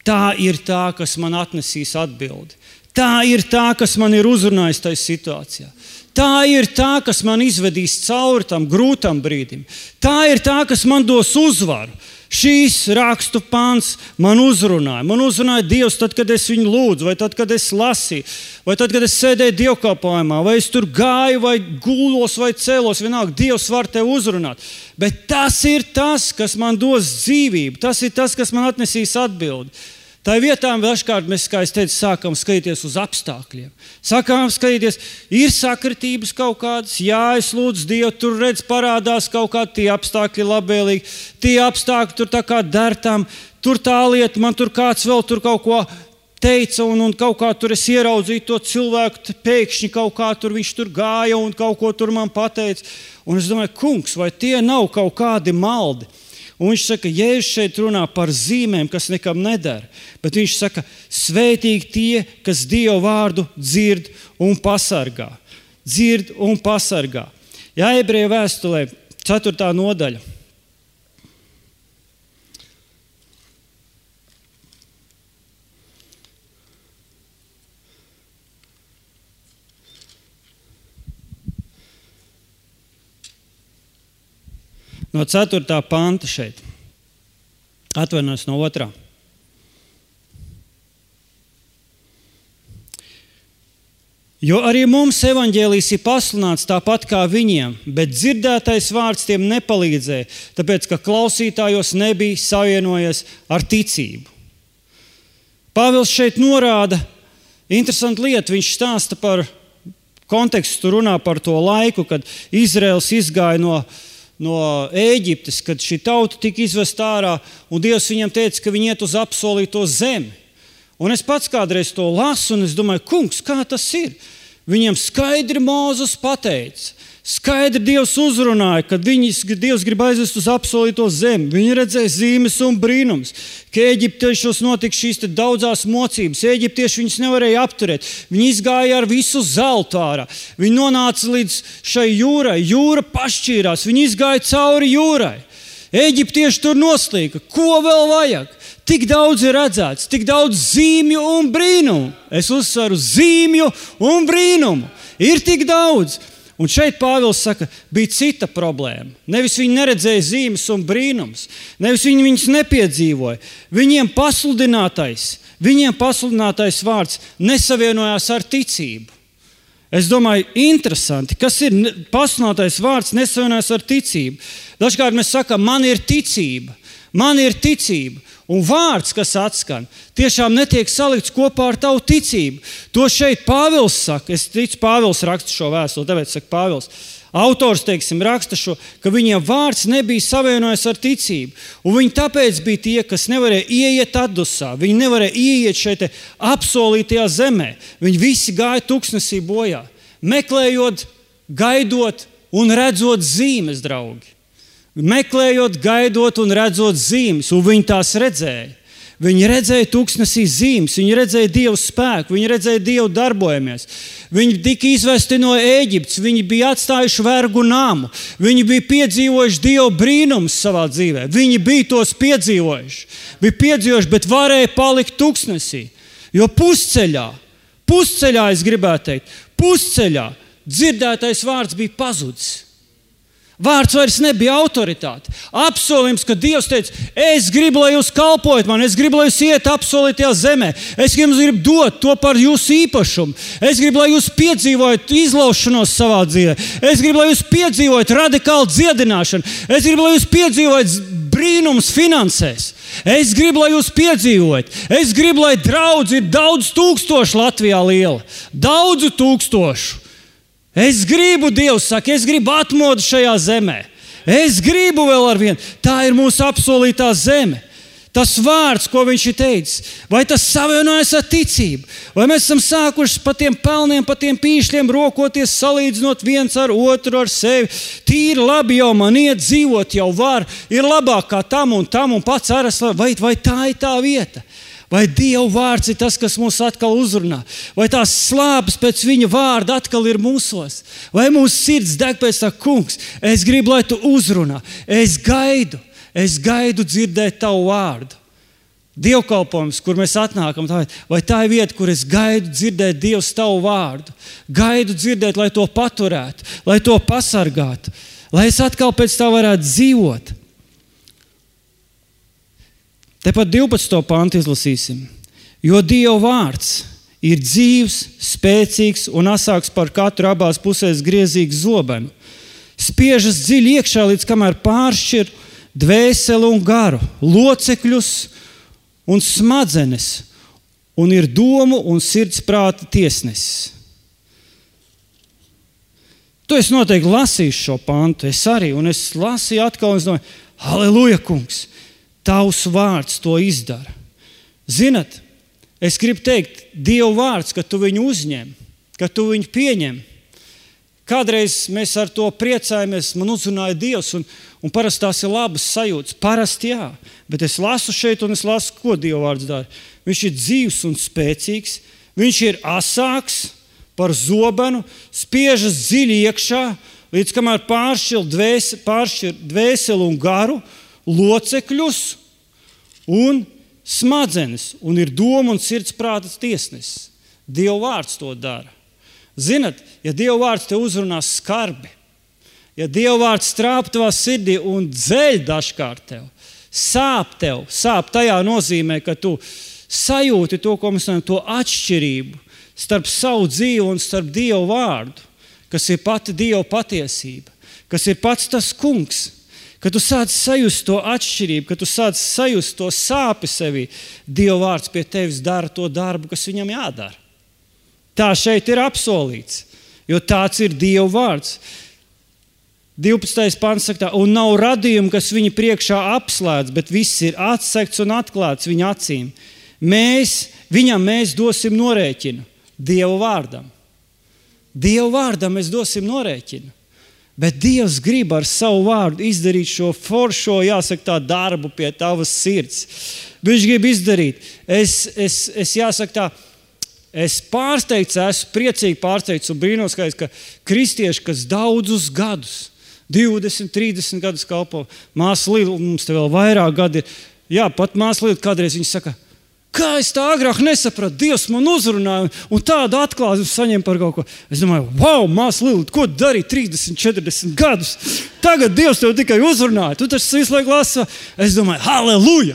tā ir tā, kas man atnesīs atbildi. Tā ir tā, kas man ir uzrunājis tajā situācijā. Tā ir tā, kas man izvedīs cauri tam grūtam brīdim. Tā ir tā, kas man dos uzvaru. Šīs rakstu pants man uzrunāja. Man uzrunāja Dievs tad, kad es viņu lūdzu, vai tad, kad es lasīju, vai tad, kad es sēdēju dievkalpojumā, vai es tur gāju, vai gulos, vai cēlos, vienalga, Dievs var tevi uzrunāt. Bet tas ir tas, kas man dos dzīvību. Tas ir tas, kas man atnesīs atbildi. Tā vietā dažkārt mēs, kā es teicu, sākam skatīties uz apstākļiem. Sākam skatīties, ir sakritības kaut kādas, jā, es lūdzu Dievu, tur redz parādās kaut kādi tie apstākļi labvēlīgi, tie apstākļi tur tā kā dertam, tur tā lieta, man tur kāds vēl tur kaut ko teica un kaut kā tur es ieraudzīju to cilvēku, pēkšņi kaut kā tur viņš tur gāja un kaut ko tur man pateica. Un es domāju, kungs, vai tie nav kaut kādi maldi? Un viņš saka, Jēzus šeit runā par zīmēm, kas nekam nedara. Bet viņš saka, svētīgi tie, kas Dieva vārdu dzird un pasargā. Dzird un pasargā. Jā, Ebreju vēstulē, 4. nodaļa. No 4. panta šeit. Atvainojos no 2. Jo arī mums evaņģēlijs ir pasludināts tāpat kā viņiem, bet dzirdētais vārds tiem nepalīdzēja, tāpēc, ka klausītājos nebija savienojies ar ticību. Pāvils šeit norāda interesantu lietu. Viņš stāsta par kontekstu, runā par to laiku, kad Izraels izgāja no Ēģiptes, kad šī tauta tika izvesta ārā, un Dievs viņiem teica, ka viņi iet uz apsolīto zemi. Un es pats kādreiz to lasu, un es domāju, kungs, kā tas ir? Viņiem skaidri Mūzes pateica, skaidri Dievs uzrunāja, kad Dievs grib aizvest uz apsolīto zemi. Viņi redzēja zīmes un brīnums, ka Ēģiptiešos notika šīs daudzās mocības. Ēģiptieši viņus nevarēja apturēt. Viņi izgāja ar visu zeltu ārā. Viņi nonāca līdz šai jūrai. Jūra pašķīrās. Viņi izgāja cauri jūrai. Ēģiptieši tur noslīka. Ko vēl vajag? Tik daudz ir redzēts, tik daudz zīmju un brīnumu. Es uzsveru zīmju un brīnumu. Ir tik daudz. Un šeit Pāvils saka, bija cita problēma. Nevis viņi neredzēja zīmes un brīnums, nevis viņi viņus nepiedzīvoja. Viņiem pasludinātais vārds nesavienojās ar ticību. Es domāju, interesanti, kas ir pasludinātais vārds nesavienojās ar ticību. Dažkārt mēs sakām, man ir ticība. Un vārds, kas atskan, tiešām netiek salikts kopā ar tavu ticību. To šeit Pāvils saka. Es ticu, Pāvils raksta šo vēstuli, tāpēc saka Pāvils. Autors, raksta šo, ka viņiem vārds nebija savienojies ar ticību. Un viņi tāpēc bija tie, kas nevarēja ieiet atdusā. Viņi nevarēja ieiet šeit apsolītajā zemē. Viņi visi gāja tuksnesī bojā. Meklējot, gaidot un redzot zīmes, draugi. Meklējot, gaidot un redzot zīmes, un viņi tās redzēja. Viņi redzēja tuksnesī zīmes, viņi redzēja Dievu spēku, viņi redzēja Dievu darbojamies. Viņi tika izvesti no Ēģiptes, viņi bija atstājuši vergu namu, viņi bija piedzīvojuši Dievu brīnumus savā dzīvē. Viņi bija tos piedzīvojuši, bet varēja palikt tuksnesī. Jo pusceļā es gribētu teikt, dzirdētais vārds bija pazudis. Vārds vairs nebija autoritāte. Apsolījums, ka Dievs teica, es gribu, lai jūs kalpojat man, es gribu, lai jūs iet apsolītajā zemē, es gribu dot to par jūsu īpašumu, es gribu, lai jūs piedzīvojat izlaušanos savā dzīvē, es gribu, lai jūs piedzīvojat radikālu dziedināšanu, es gribu, lai jūs piedzīvojat brīnums finansēs, es gribu, lai jūs piedzīvojat, es gribu, lai draudz ir daudz tūkstošu Latvijā liela, daudzu tūkstošu. Es gribu, Dievs saka, es gribu atmodu šajā zemē. Es gribu vēl ar vienu. Tā ir mūsu apsolītā zeme. Tas vārds, ko viņš ir teicis, vai tas savienojas ar ticību? Vai mēs esam sākuši pa tiem pelniem, pa tiem pīšļiem rokoties, salīdzinot viens ar otru, ar sevi? Tīri labi jau man iet, dzīvot jau var, ir labāk kā tam un pats aras, vai tā ir tā vieta? Vai Dieva vārds ir tas, kas mūs atkal uzrunā? Vai tās slāpes pēc viņa vārda atkal ir mūsos? Vai mūsu sirds deg pēc tā, kungs, es gribu, lai tu uzrunā. Es gaidu dzirdēt tavu vārdu. Dievkalpojums, kur mēs atnākam, vai tā ir vieta, kur es gaidu dzirdēt Dievs tavu vārdu? Gaidu dzirdēt, lai to paturētu, lai to pasargātu, lai es atkal pēc tā varētu dzīvot. Tepat 12. pantu izlasīsim. Jo Dieva vārds ir dzīvs, spēcīgs un asāks par katru abās pusēs griezīgu zobenu. Spiežas dziļi iekšā, līdz kamēr pāršķir dvēseli un garu, locekļus un smadzenes, un ir domu un sirds prāta tiesnesis. Tu esi noteikti lasījis šo pantu, es arī, un es lasīju atkal, un es domāju, halleluja, kungs! Tavs vārds to izdara. Zinat, es gribu teikt, Dieva vārds, ka tu viņu uzņem, ka tu viņu pieņem. Kādreiz mēs ar to priecājamies, man uzrunāja Dievs, un parasti tās ir labas sajūtas. Parasti jā, bet es lasu šeit, un es lasu, ko Dieva vārds dara. Viņš ir dzīvs un spēcīgs, viņš ir asāks par zobenu, spiežas dziļi iekšā, līdz kamēr pāršķir dvēseli un garu, locekļus un smadzenes, un ir doma un sirds prātas tiesnesis. Dieva vārds to dara. Zinat, ja Dieva vārds te uzrunās skarbi, ja Dieva vārds strāp tavā sirdī un dzeļ dažkārt tev, sāp tajā nozīmē, ka tu sajūti to, ko mēs runājam, to atšķirību starp savu dzīvi un starp Dievu vārdu, kas ir pati Dieva patiesība, kas ir pats tas kungs, kad tu sāc sajust to atšķirību, kad tu sāc sajust to sāpi sevī, Dieva vārds pie tevis dara to darbu, kas viņam jādara. Tā šeit ir apsolīts, jo tāds ir Dieva vārds. 12. pants saka tā, un nav radījumu, kas viņa priekšā apslēdz, bet viss ir atsekts un atklāts viņa acīm. Viņam mēs dosim norēķinu, Dieva vārdam. Dieva vārdam mēs dosim norēķinu. Bet Dievs grib ar savu vārdu izdarīt šo foršo, jāsaka tā, darbu pie tavas sirds. Viņš grib izdarīt. Es jāsaka tā, es pārsteigts, esmu priecīgi pārsteigts un brīnos, ka kristieši, kas daudzus gadus, 20, 30 gadus kalpo, māsa Lila, mums te vēl vairāk gadi ir, jā, pat māsa Lila kādreiz viņa saka, kā es tā agrāk nesapratu, Dievs man uzrunāja un tādu atklāsmi saņem par kaut ko. Es domāju, wow, māsa Lila, ko darīja 30, 40 gadus? Tagad Dievs tev tikai uzrunāja, tu taču visu laiku lasi. Es domāju, halleluja!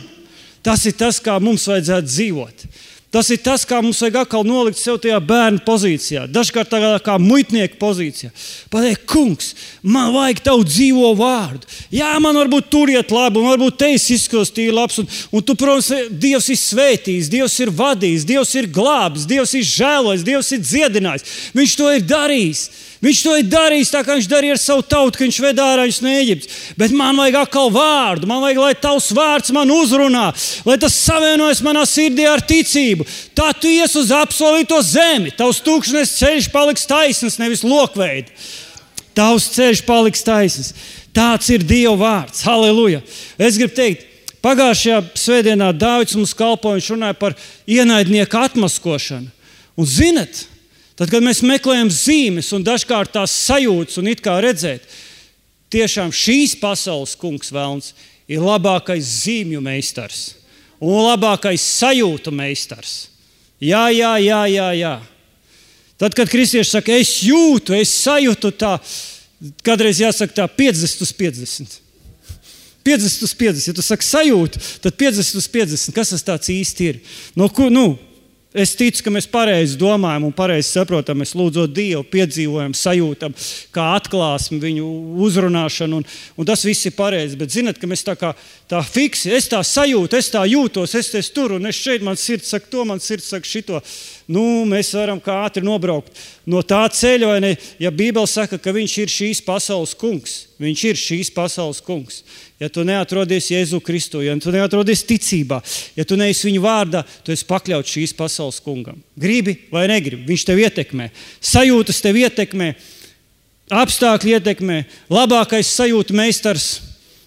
Tas ir tas, kā mums vajadzētu dzīvot. Tas ir tas, kā mums vajag atkal nolikt sev tajā bērnu pozīcijā, dažkārt tādā kā muitnieku pozīcijā. Pateikt, kungs, man vajag tavu dzīvo vārdu. Jā, man varbūt tur iet labi, un varbūt te izskatās tīri labs, un tu, protams, Dievs ir svētījis, Dievs ir vadījis, Dievs ir glābis, Dievs ir žēlojis, Dievs ir dziedinājis. Viņš to ir darījis. Viņš to ir darījis tā, kā viņš darīja ar savu tautu, ka viņš ved ārā viņus no Ēģiptes. Bet man vajag atkal vārdu, man vajag, lai tavs vārds man uzrunā, lai tas savienojas manā sirdī ar ticību. Tā tu ies uz apsolīto zemi, tavs tūkstnes ceļš paliks taisns, nevis lokveidi. Tavs ceļš paliks taisns. Tāds ir Dieva vārds. Halleluja! Es gribu teikt, pagājušajā svētdienā Dāvids mums kalpoja, viņš runāja par ienaidnieku atmaskošanu. Un zinat, tad, kad mēs meklējam zīmes un dažkārt tās sajūtas un it kā redzēt, tiešām šīs pasaules kungs velns ir labākais zīmju meistars un labākais sajūtu meistars. Jā. Tad, kad kristieši saka, es jūtu, es sajūtu tā, kādreiz jāsaka tā 50 uz 50. 50 uz 50, ja tu saki sajūtu, tad 50 uz 50, kas tas tāds īsti ir? Es ticu, ka mēs pareizi domājam un pareizi saprotam, mēs lūdzot Dievu, piedzīvojam, sajūtam, kā atklāsmi viņu uzrunāšanu, un tas viss ir pareizi. Bet zinat, ka mēs tā fiksi, es tā sajūtu, es tā jūtos, es tur, un es šeit, man sirds saka to, man sirds saka šito. Mēs varam kā ātri nobraukt no tā ceļa, vai ne? Ja Bībele saka, ka viņš ir šīs pasaules kungs, viņš ir šīs pasaules kungs. Ja tu neatrodies Jēzu Kristu, ja tu neatrodies ticībā, ja tu neesi viņa vārdā, tu esi pakļauts šīs pasaules kungam. Gribi vai negribi, viņš tev ietekmē. Sajūtas tev ietekmē, apstākļi ietekmē. Labākais sajūtu meistars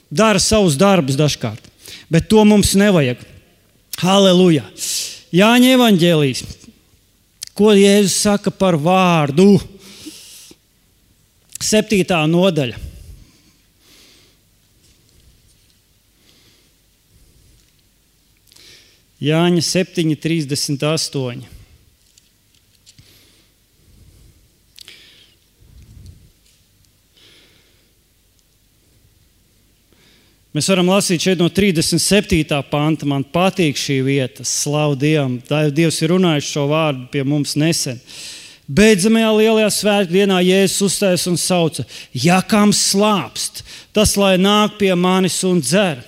dara savus darbus dažkārt. Bet to mums nevajag. Halleluja! Jāņa evaņģēlijs. Ko Jēzus saka par vārdu? 7. nodaļa. Jāņa 7:38. Mēs varam lasīt šeit no 37. panta. Man patīk šī vieta. Slavu Dievam. Dievs ir runājis šo vārdu pie mums nesen. Beidzamajā lielajā svētku dienā Jēzus uzstājas un sauca: ja kam slāpst, tas lai nāk pie manis un dzer.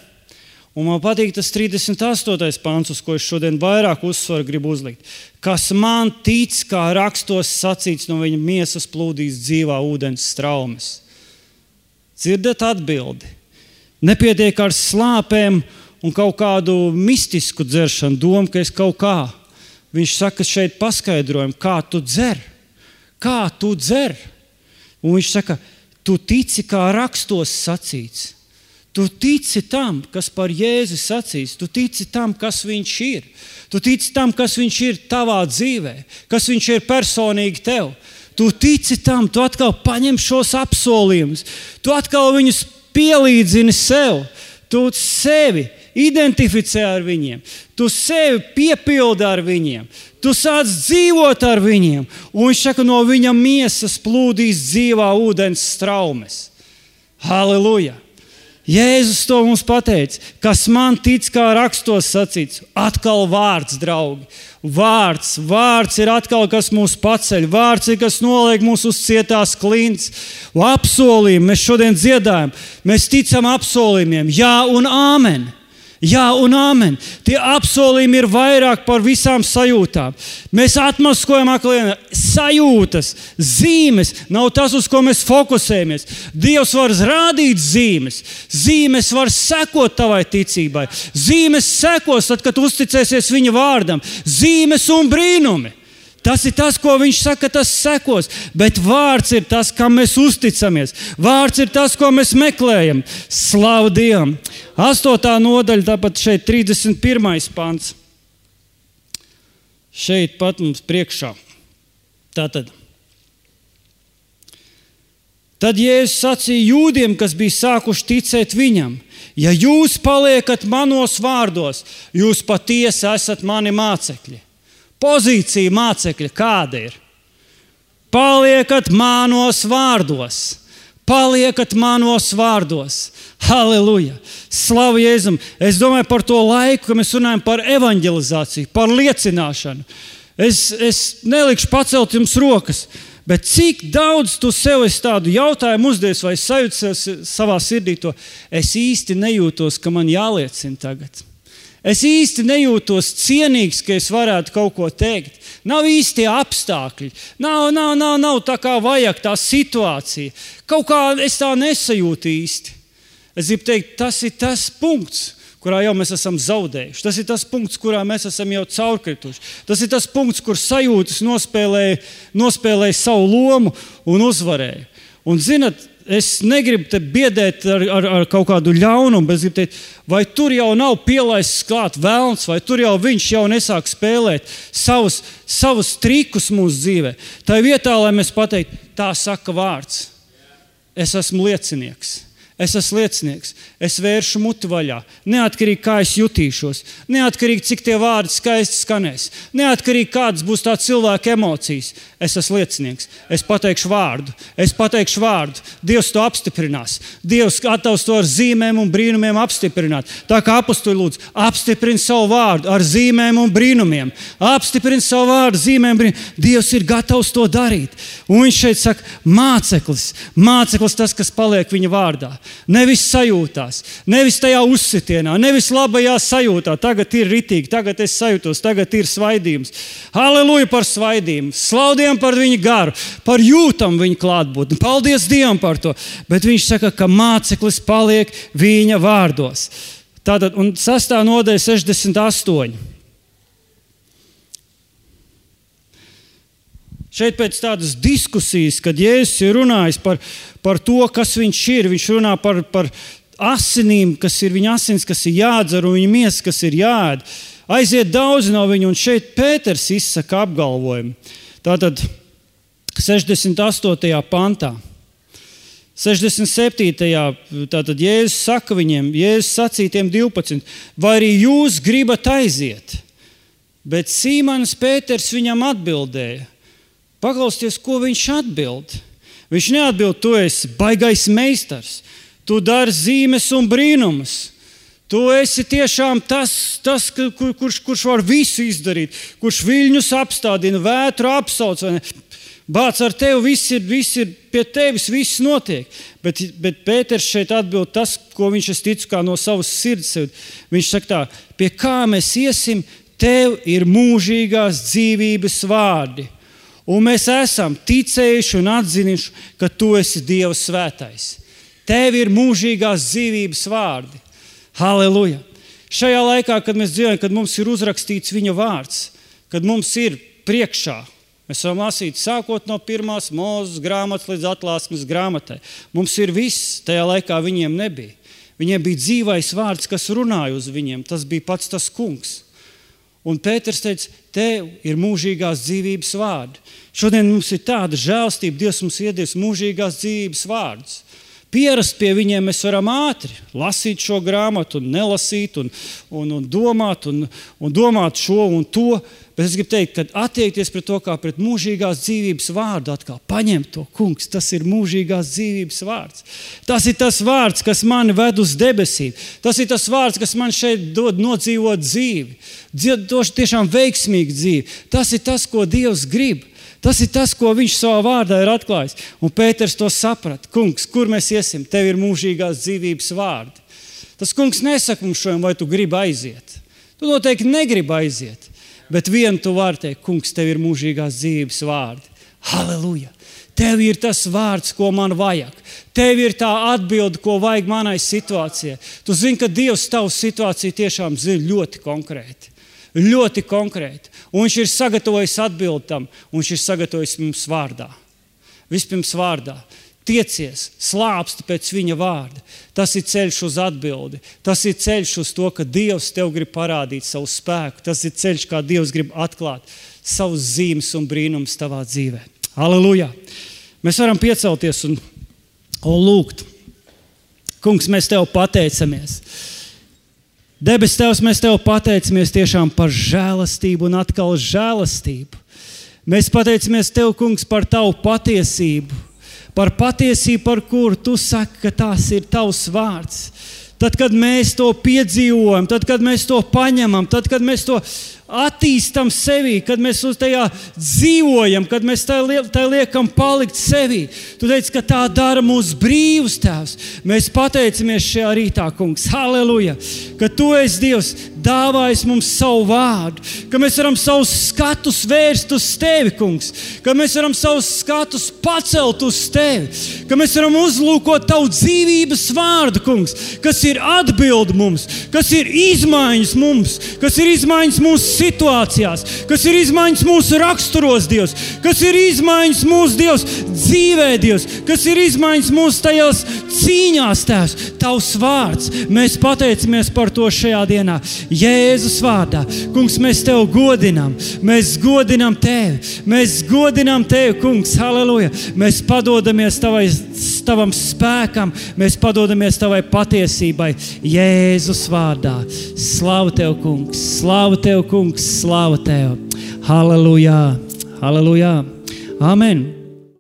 Un man patīk tas 38. pants, uz ko es šodien vairāk uzsvaru gribu uzlikt. Kas man tic, kā rakstos sacīts, no viņa miesas plūdīs dzīvā ūdens straumes. Dzirdat atbildi? Nepietiek ar slāpēm un kaut kādu mistisku dzeršanu, domu, ka es kaut kā. Viņš saka šeit paskaidrojumu, kā tu dzer. Kā tu dzer? Un viņš saka, tu tici, kā rakstos sacīts. Tu tici tam, kas par Jēzu sacīs. Tu tici tam, kas viņš ir. Tu tici tam, kas viņš ir tavā dzīvē. Kas viņš ir personīgi tev. Tu tici tam, tu atkal paņem šos apsolījumus. Tu atkal viņus pielīdzini sev. Tu sevi identificē ar viņiem. Tu sevi piepildi ar viņiem. Tu sāc dzīvot ar viņiem. Un viņš saka, no viņa miesas plūdīs dzīvā ūdens straumes. Halleluja! Jēzus to mums pateica, kas man tic, kā rakstos sacīts, atkal vārds, draugi. Vārds ir atkal, kas mūs paceļ, vārds ir, kas noliek mūs uz cietās klints. Apsolījumi, mēs šodien dziedājam, mēs ticam apsolījumiem, jā un āmen. Jā un āmen. Tie apsolījumi ir vairāk par visām sajūtām. Mēs atmaskojam aklienā sajūtas, zīmes. Nav tas, uz ko mēs fokusējamies. Dievs var rādīt zīmes. Zīmes var sekot tavai ticībai. Zīmes sekos, tad, kad uzticēsies viņa vārdam. Zīmes un brīnumi. Tas ir tas, ko viņš saka, tas sekos. Bet vārds ir tas, kam mēs uzticamies. Vārds ir tas, ko mēs meklējam. Slavu Dievam! 8. nodaļa, tāpat šeit 31. pants. Šeit pat mums priekšā. Tātad. Tad Jēzus sacīja jūdiem, kas bija sākuši ticēt viņam: ja jūs paliekat manos vārdos, jūs patiesi esat mani mācekļi. Pozīcija mācekļa kāda ir? Paliekat manos vārdos. Paliekat manos vārdos. Halleluja! Slavu Jēzum! Es domāju par to laiku, kad mēs runājam par evanģelizāciju, par liecināšanu. Es nelikšu pacelt jums rokas, bet cik daudz tu sev esi tādu jautājumu uzdevis vai sajūties savā sirdī to, es īsti nejūtos, ka man jāliecina tagad. Es īsti nejūtos cienīgs, ka es varētu kaut ko teikt. Nav īsti apstākļi. Nav tā kā vajag tā situācija. Kaut kā es tā nesajūtu īsti. Es gribu teikt, tas ir tas punkts, kurā jau mēs esam zaudējuši. Tas ir tas punkts, kurā mēs esam jau caurkrituši. Tas ir tas punkts, kur sajūtas nospēlēja savu lomu un uzvarēja. Un zinat, es negribu te biedēt ar kaut kādu ļaunumu, bet es gribu teikt, vai tur jau nav pielaists klāt velns, vai tur jau viņš jau nesāk spēlēt savus trikus mūsu dzīvē. Tā vietā, lai mēs pateiktu, tā saka vārds. Es esmu liecinieks. Es vēršu muti vaļā. Neatkarīgi, kā es jutīšos. Neatkarīgi, cik tie vārdi skaisti skanēs. Neatkarīgi, kādas būs tā cilvēka emocijas. Es esmu liecinieks. Es pateikšu vārdu. Dievs to apstiprinās. Dievs gatavs to ar zīmēm un brīnumiem apstiprināt. Tā kā apustuļi lūdzu, apstiprini savu vārdu ar zīmēm un brīnumiem. Apstiprini savu vārdu, zīmēm un brīnumiem. Dievs ir gatavs to darīt. Un viņš šeit saka, māceklis tas, kas paliek viņa vārdā. Nevis sajūtās, nevis tajā uzsitienā, nevis labajā sajūtā. Tagad ir ritīgi, tagad es sajūtos, tagad ir svaidījums. Halleluja par svaidījumu, slaudiem par viņu garu, par jūtam viņa klātbūtni. Paldies Dievam par to. Bet viņš saka, ka māceklis paliek viņa vārdos. Tātad, un 6. nodaļa 68. Šeit pēc tādas diskusijas, kad Jēzus ir runājis par to, kas viņš ir, viņš runā par asinīm, kas ir viņa asins, kas ir jādzer, un viņa miesa, kas ir jāēd. Aiziet daudz no viņa, un šeit Pēters izsaka apgalvojumu. Tātad 68. pantā. 67. tātad Jēzus saka viņiem, Jēzus sacīja tiem 12, vai arī jūs gribat aiziet? Bet Sīmanis Pēters viņam atbildēja. Paklausieties, ko viņš atbild. Viņš neatbild, tu esi baigais meistars, tu dari zīmes un brīnumus. Tu esi tiešām tas kurš var visu izdarīt, kurš viļņus apstādina, vētru apsauc. Bāc, ar tevi viss ir pie tevis, viss notiek. Bet Pēters šeit atbild tas, ko viņš es ticu kā no savas sirds. Viņš saka tā, pie kā mēs iesim, tev ir mūžīgās dzīvības vārdi. Un mēs esam ticējuši un atzinuši, ka tu esi Dieva svētais. Tev ir mūžīgās dzīvības vārdi. Halleluja! Šajā laikā, kad mēs dzīvojam, kad mums ir uzrakstīts viņa vārds, kad mums ir priekšā, mēs varam lasīt sākot no 1. Mūzes grāmatas līdz Atklāsmes grāmatai. Mums ir viss, tajā laikā viņiem nebija. Viņiem bija dzīvais vārds, kas runāja uz viņiem. Tas bija pats tas kungs. Un Pēters teica, tev ir mūžīgās dzīvības vārdi. Šodien mums ir tāda žēlstība, Dievs mums iedevis mūžīgās dzīvības vārdus. Pierast pie viņiem mēs varam ātri lasīt šo grāmatu un nelasīt un domāt un domāt šo un to. Bet es gribu teikt, ka attiekties pret to kā pret mūžīgās dzīvības vārdu atkal. Paņemt to, kungs, tas ir mūžīgās dzīvības vārds. Tas ir tas vārds, kas mani ved uz debesīm. Tas ir tas vārds, kas man šeit dod nodzīvot dzīvi. Tiešām veiksmīgu dzīvi. Tas ir tas, ko Dievs grib. Tas ir tas, ko viņš savā vārdā ir atklājis. Un Pēters to saprata. Kungs, kur mēs iesim? Tev ir mūžīgās dzīvības vārdi. Tas kungs nesaka mums šodien, vai tu gribi aiziet. Tu noteikti negribi aiziet. Bet vienu tu vari teikt, kungs, tev ir mūžīgās dzīvības vārdi. Halleluja! Tev ir tas vārds, ko man vajag. Tev ir tā atbilde, ko vajag manai situācijai. Tu zini, ka Dievs tavu situāciju tiešām zina ļoti konkrēti. Ļoti konkrēti. Un viņš ir sagatavojis atbildi tam, un viņš ir sagatavojis mums vārdā. Vispirms vārdā. Tiecies, slāpsti pēc viņa vārda. Tas ir ceļš uz atbildi. Tas ir ceļš uz to, ka Dievs tev grib parādīt savu spēku. Tas ir ceļš, kā Dievs grib atklāt savus zīmes un brīnumus tavā dzīvē. Halleluja! Mēs varam piecelties un lūgt. Kungs, mēs tev pateicamies. Debes Tevs, mēs tev pateicamies tiešām par žēlastību un atkal žēlastību. Mēs pateicamies tev, kungs, par tavu patiesību, par patiesību, par kuru tu saki, ka tās ir tavs vārds. Tad, kad mēs to piedzīvojam, tad, kad mēs to paņemam, tad, kad mēs to attīstam sevī, kad mēs uz tajā dzīvojam, kad mēs tai liekam palikt sevī. Tu teici, ka tā dara mūs brīvus, Tēvs. Mēs pateicamies šajā rītā, kungs. Halleluja! Ka tu esi Dievs, dāvājis mums savu vārdu, ka mēs varam savus skatus vērst uz tevi, kungs, ka mēs varam savus skatus pacelt uz tevi, ka mēs varam uzlūkot tavu dzīvības vārdu, kungs, kas ir atbildi mums, kas ir izmaiņas mums, kas ir izmaiņas mūsu situācijās, kas ir izmaiņas mūsu raksturos, Dievs, kas ir izmaiņas mūsu, Dievs, dzīvē, Dievs, kas ir izmaiņas mūsu tajās cīņās, Tēvs, tavs vārds. Mēs pateicamies par to šajā dienā. Jēzus vārdā. Kungs, mēs tev godinām. Mēs godinām tevi, kungs. Halleluja. Mēs padodamies tavam spēkam. Mēs padodamies tavai patiesībai. Jēzus vārdā. Slavu tev, kungs. Slavu tev, kungs. Slavu tev. Halleluja. Halleluja. Amen.